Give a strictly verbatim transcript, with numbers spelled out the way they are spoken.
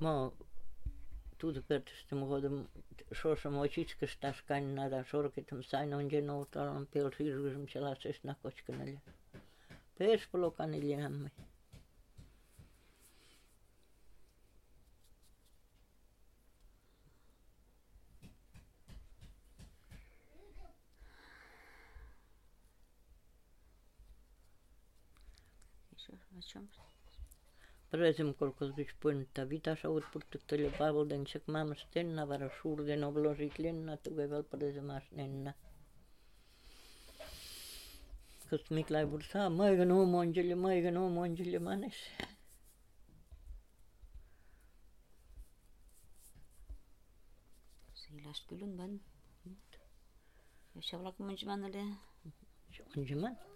Ma tuutupertusta muodon soosamo chitkastas kannada sorkitum sain on genoutalan pelsiirrym sellaisesta nakoskenelle. Peespolokaniljamme. Presem kolkos byks punta vitas aut purtuttele pavolden sek maamas tenna vara suurden oblosit lenna tugeval presemas nenna. Kost miklai bur saa maigan omonjille maigan omonjille manes. Siilas kylän van. Ja se olak mun manale. Se on se man.